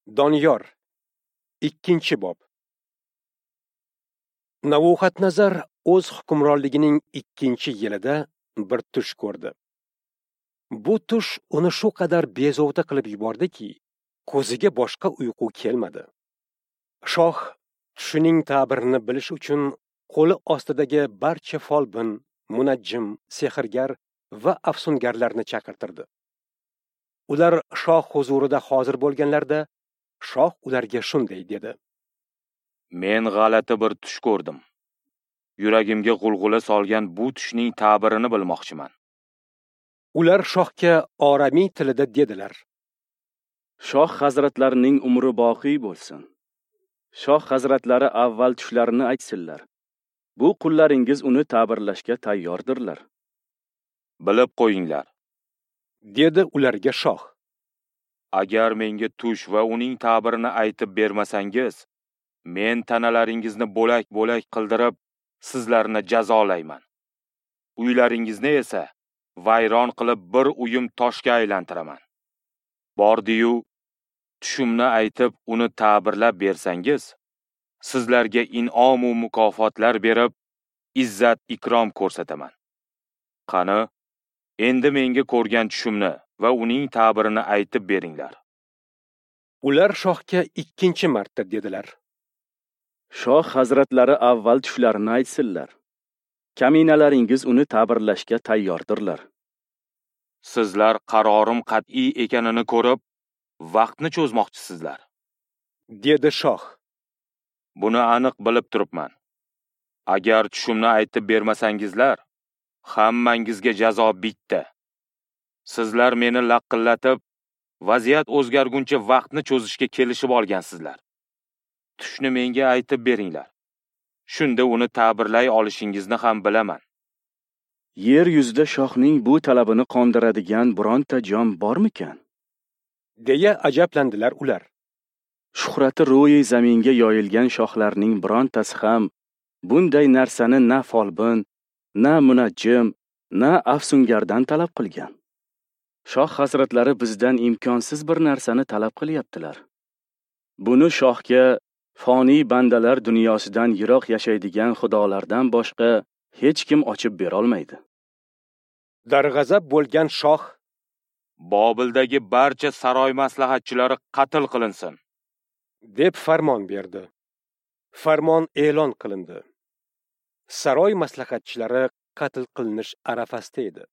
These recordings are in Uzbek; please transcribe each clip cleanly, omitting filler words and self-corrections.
Doniyor, 2-bob. Navuxadnazar o'z hukmronligining 2-yilida bir tush ko'rdi. Bu tush uni shu qadar bezovta qilib yubordiki, ko'ziga boshqa uyqu kelmadi. Shoh tushining ta'birini bilish uchun qo'li ostidagi barcha folbin, munajjim, sehrgar va afsungarlarni chaqirtirdi. Ular shoh huzurida hozir bo'lganlarda, shoh ularga shunday dedi: Men g'alati bir tush ko'rdim. Yuragimga g'ulg'ula solgan bu tushning ta'birini bilmoqchiman. Ular shohga oramiy tilida dedilar: Shoh hazratlarining umri boqiy bo'lsin. Shoh hazratlari avval tushlarini aytsinlar. Bu qullaringiz uni ta'birlashga tayyordirlar. Bilib qo'yinglar, dedi ularga shoh. Agar menga tush va uning ta'birini aytib bermasangiz, men tanalaringizni bo'lak-bo'lak qildirib, sizlarni jazolayman. Uylaringizni esa vayron qilib bir uyum toshga aylantiraman. Bordi-yu, tushimni aytib, uni ta'birlab bersangiz, sizlarga in'om u mukofotlar berib, izzat ikrom ko'rsataman. Qani, endi menga ko'rgan tushimni va uning ta'birini aytib beringlar. Ular shohga 2-chi marta dedilar: Shoh hazratlari avval tushlarini aytsinlar. Kaminalaringiz uni ta'birlashga tayyordirlar. Sizlar qarorim qat'iy ekanini ko'rib, vaqtni cho'zmoqchisizlar, dedi shoh. Buni aniq bilib turibman. Agar tushimni aytib bermasangizlar, hammangizga jazo bitta. Sizlar meni laqillatib, vaziyat o'zgarguncha vaqtni cho'zishga kelishib olgansizlar. Tushni menga aytib beringlar. Shunda uni ta'birlay olishingizni ham bilaman. Yer yuzida shohning bu talabini qondiradigan bironta jon bormikan? Deya ajablandilar ular. Shuhrati ro'yi zaminga yoyilgan shohlarning birontasi ham bunday narsani na folbin, na munajjim, na afsungardan talab qilgan. Shoh hazratlari bizdan imkonsiz bir narsani talab qilyaptilar. Buni shohga foniy bandalar dunyosidan yiroq yashaydigan xudolardan boshqa hech kim ochib bera olmaydi. Darg'azab bo'lgan shoh: Bobildagi barcha saroy maslahatchilari qatl qilinsin, deb farmon berdi. Farmon e'lon qilindi. Saroy maslahatchilari qatl qilinish arafasida edi.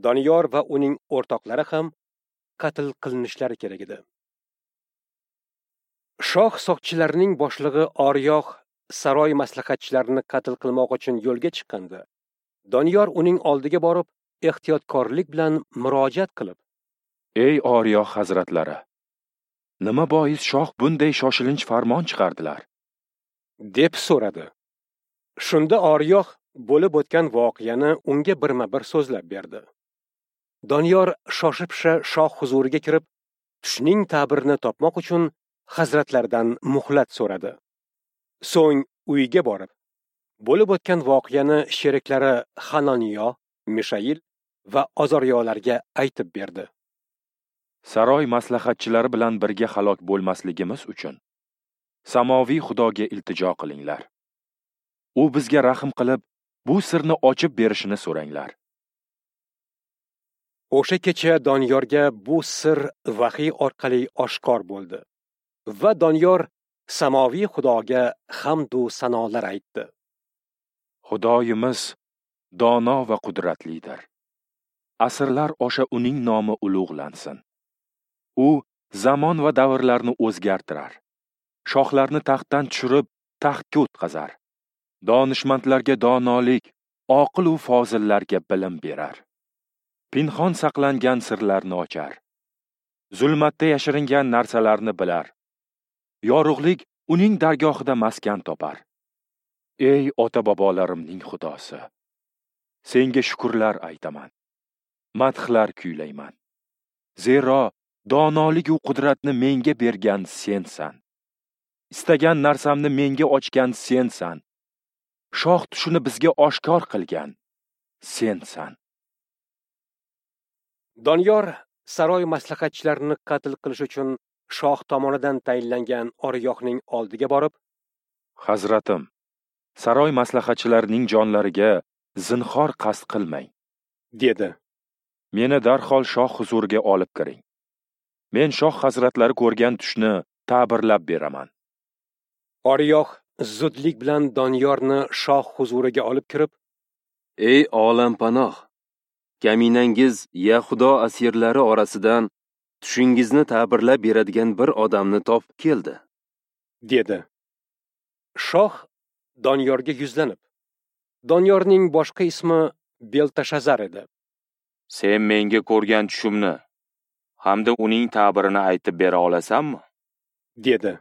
Doniyor va uning o'rtoqlari ham qatl qilinishlari kerak edi. Shoh soqchilarining boshlig'i Oriyoh saroy maslahatchilarini qatl qilmoq uchun yo'lga chiqqanda, Doniyor uning oldiga borib, ehtiyotkorlik bilan murojaat qilib: Ey Oriyoh hazratlari, nima bois shoh bunday shoshilinch farmon chiqardilar? deb so'radi. Shunda Oriyoh bo'lib o'tgan voqeani unga birma-bir so'zlab berdi. Doniyor shoshib-pisha shoh huzuriga kirib, tushning ta'birini topmoq uchun hazratlaridan muhlat so'radi. So'ng uyiga borib, bo'lib o'tgan voqeani sheriklari Hanoniyo, Mishail va Ozoryolarga aytib berdi. Saroy maslahatchilari bilan birga halok bo'lmasligimiz uchun samoviy Xudoga iltijo qilinglar. U bizga rahm qilib, bu sirni ochib berishini so'ranglar. O'sha kecha Doniyorga bu sir vahiy orqali oshkor bo'ldi va Doniyor samoviy Xudoga hamd u sanolar aytdi. Xudoyimiz dono va qudratlidir. Asrlar osha uning nomi ulug'lansin. U zamon va davrlarni o'zgartirar. Shohlarni taxtdan tushirib, taxtga o'tqazar. Donishmandlarga donolik, oqil u fozillarga bilim berar. Pinhon saqlangan sirlarni ochar. Zulmatda yashiringan narsalarni bilar. Yorug'lik uning dargohida maskan topar. Ey ota-bobolarimning Xudosi, senga shukrlar aytaman, madhlar kuylayman. Zero donolik u qudratni menga bergan sensan. Istagan narsamni menga ochgan sensan. Shoh tushini bizga oshkor qilgan sensan. Doniyor saroy maslahatchilarini qatl qilish uchun shoh tomonidan tayinlangan Oriyohning oldiga borib, "Hazratim, saroy maslahatchilarining jonlariga zinhor qasd qilmang", dedi. "Meni darhol shoh huzuriga olib kiring. Men shoh hazratlari ko'rgan tushni ta'birlab beraman." Oriyoh zudlik bilan Doniyorni shoh huzuriga olib kirib, "Ey olampanoh, kaminangiz Yahudo asirlari orasidan tushingizni ta'birlab beradigan bir odamni topib keldi", dedi. Shoh Doniyorga yuzlanib, Doniyorning boshqa ismi Beltashazar edi. "Sen menga ko'rgan tushimni hamda uning ta'birini aytib bera olasanmi?" dedi.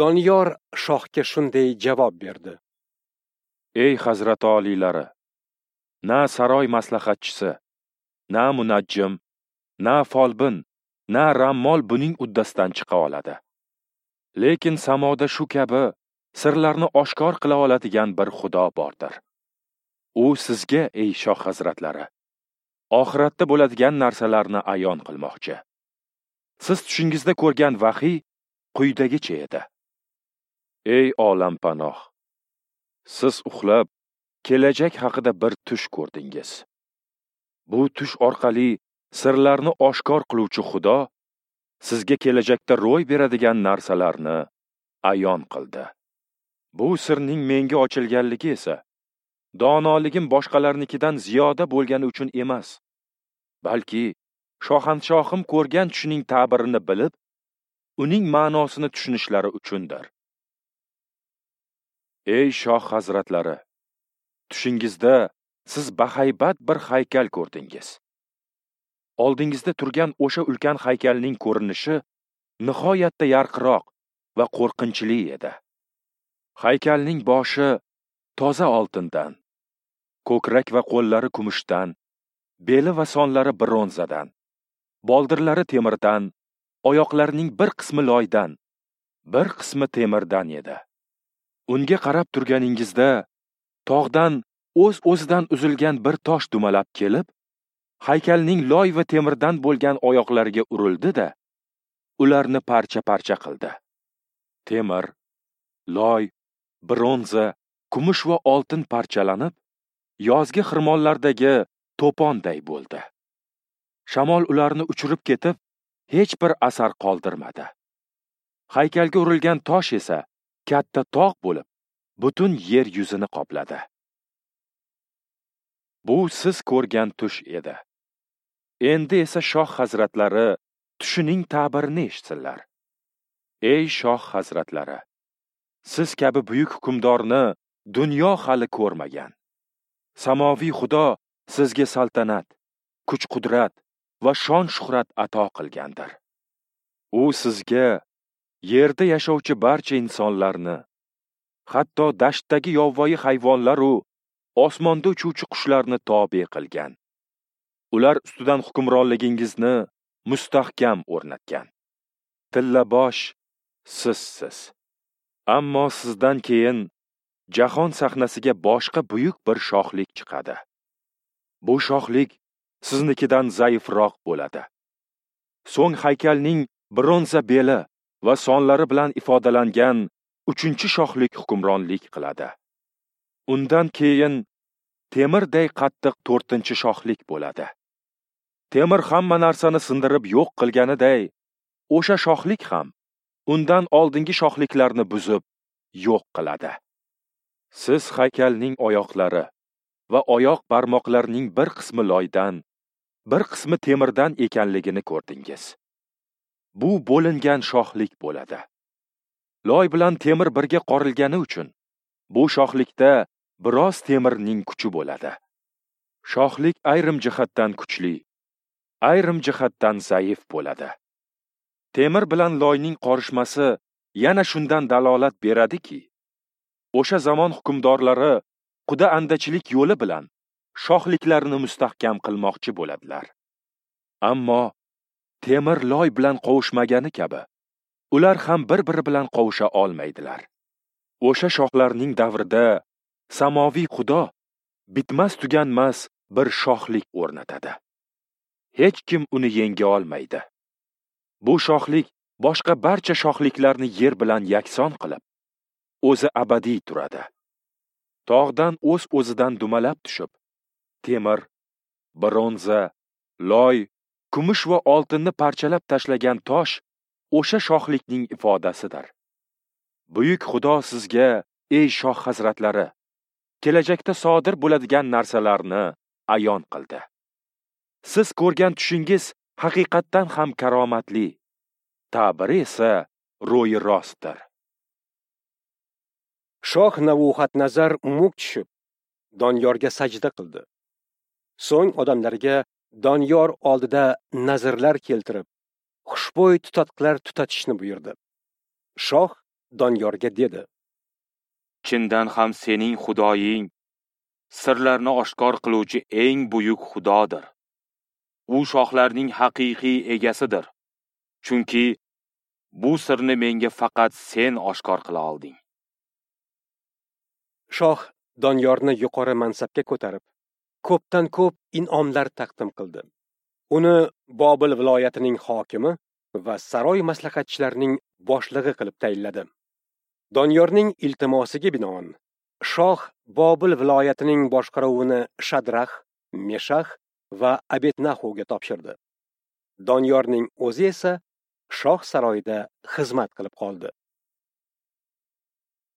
Doniyor shohga shunday javob berdi: "Ey hazrati oliylari, na saroy maslahatchisi, na munajjim, na folbin, na rammol buning uddasidan chiqa oladi. Lekin samoda shu kabi sirlarni oshkor qila oladigan bir Xudo bordir. U sizga, ey shoh hazratlari, oxiratda bo'ladigan narsalarni ayon qilmoqchi. Siz tushingizda ko'rgan vahiy quyidagicha edi. Ey olampanoh, siz uxlab kelajak haqida bir tush ko'rdingiz. Bu tush orqali sirlarni oshkor qiluvchi Xudo sizga kelajakda ro'y beradigan narsalarni ayon qildi. Bu sirning menga ochilganligi esa donoligim boshqalarnikidan ziyoda bo'lgani uchun emas, balki shohanshohim ko'rgan tushining ta'birini bilib, uning ma'nosini tushunishlari uchundir. Ey shoh hazratlari, tushingizda siz bahaybat bir haykal ko'rdingiz. Oldingizda turgan o'sha ulkan haykalning ko'rinishi nihoyatda yarqiroq va qo'rqinchli edi. Haykalning boshi toza oltindan, ko'krak va qo'llari kumushdan, beli va sonlari bronzadan, boldirlari temirdan, oyoqlarining bir qismi loydan, bir qismi temirdan edi. Unga qarab turganingizda tog'dan o'z-o'zidan uzilgan bir tosh dumalab kelib, haykalning loy va temirdan bo'lgan oyoqlariga urildi-da, ularni parcha-parcha qildi. Temir, loy, bronza, kumush va oltin parchalanib, yozgi xirmonlardagi to'ponday bo'ldi. Shamol ularni uchirib ketib, hech bir asar qoldirmadi. Haykalga urilgan tosh esa katta tog' bo'lib, butun yer yuzini qopladi. Bu siz ko'rgan tush edi. Endi esa shoh hazratlari tushining ta'birini eshitsinlar. Ey shoh hazratlari, siz kabi buyuk hukmdorni dunyo hali ko'rmagan. Samoviy Xudo sizga saltanat, kuch-qudrat va shon-shuhrat ato qilgandir. U sizga yerda yashovchi barcha insonlarni, hatto dashtdagi yovvoyi hayvonlar u osmonda uchuvchi qushlarni tobe qilgan. Ular ustidan hukmronligingizni mustahkam o'rnatgan. Tillabosh sizsiz. Ammo sizdan keyin jahon sahnasiga boshqa buyuk bir shohlik chiqadi. Bu shohlik siznikidan zaifroq bo'ladi. So'ng haykalning bronza beli va sonlari bilan ifodalangan uchinchi shohlik hukmronlik qiladi. Undan keyin temirday qattiq to'rtinchi shohlik bo'ladi. Temir hamma narsani sindirib yo'q qilganiday, o'sha shohlik ham undan oldingi shohliklarni buzib yo'q qiladi. Siz haykalning oyoqlari va oyoq barmoqlarining bir qismi loydan, bir qismi temirdan ekanligini ko'rdingiz. Bu bo'lingan shohlik bo'ladi. Loy bilan temir birga qorilgani uchun bu shohlikda biroz temirning kuchi bo'ladi. Shohlik ayrim jihatdan kuchli, ayrim jihatdan zaif bo'ladi. Temir bilan loyning qorishmasi yana shundan dalolat beradiki, o'sha zamon hukmdorlari quda andachilik yo'li bilan shohliklarini mustahkam qilmoqchi bo'ladilar. Ammo temir loy bilan qovushmagani kabi, ular ham bir-biri bilan qovusha olmaydilar. O'sha shohlarning davrida samoviy Xudo bitmas tuganmas bir shohlik o'rnatadi. Hech kim uni yenga olmaydi. Bu shohlik boshqa barcha shohliklarni yer bilan yakson qilib, o'zi abadiy turadi. Tog'dan o'z-o'zidan dumalab tushib, temir, bronza, loy, kumush va oltinni parchalab tashlagan tosh o'sha shohlikning ifodasidir. Buyuk Xudo sizga, ey shoh hazratlari, kelajakda sodir bo'ladigan narsalarni ayon qildi. Siz ko'rgan tushingiz haqiqatdan ham karomatli, ta'biri esa ro'yi rostdir. Shoh Navuxadnazar muk tushib, Doniyorga sajda qildi. So'ng odamlarga Doniyor oldida nazrlar keltirib, xushbo'y tutatqilar tutatishni buyurdi. Shoh Doniyorga dedi: Chindan ham sening Xudoying sirlarni oshkor qiluvchi eng buyuk Xudodir. U shohlarning haqiqiy egasidir. Chunki bu sirni menga faqat sen oshkor qila olding. Shoh Doniyorni yuqori mansabga ko'tarib, ko'pdan ko'p in'omlar taqdim qildi. Uni Bobil viloyatining hokimi va saroy maslahatchilarining boshlig'i qilib tayinladi. Doniyorning iltimosiga binoan shoh Bobil viloyatining boshqaruvini Shadrax, Meshax va Abednahuga topshirdi. Doniyorning o'zi esa shoh saroyida xizmat qilib qoldi.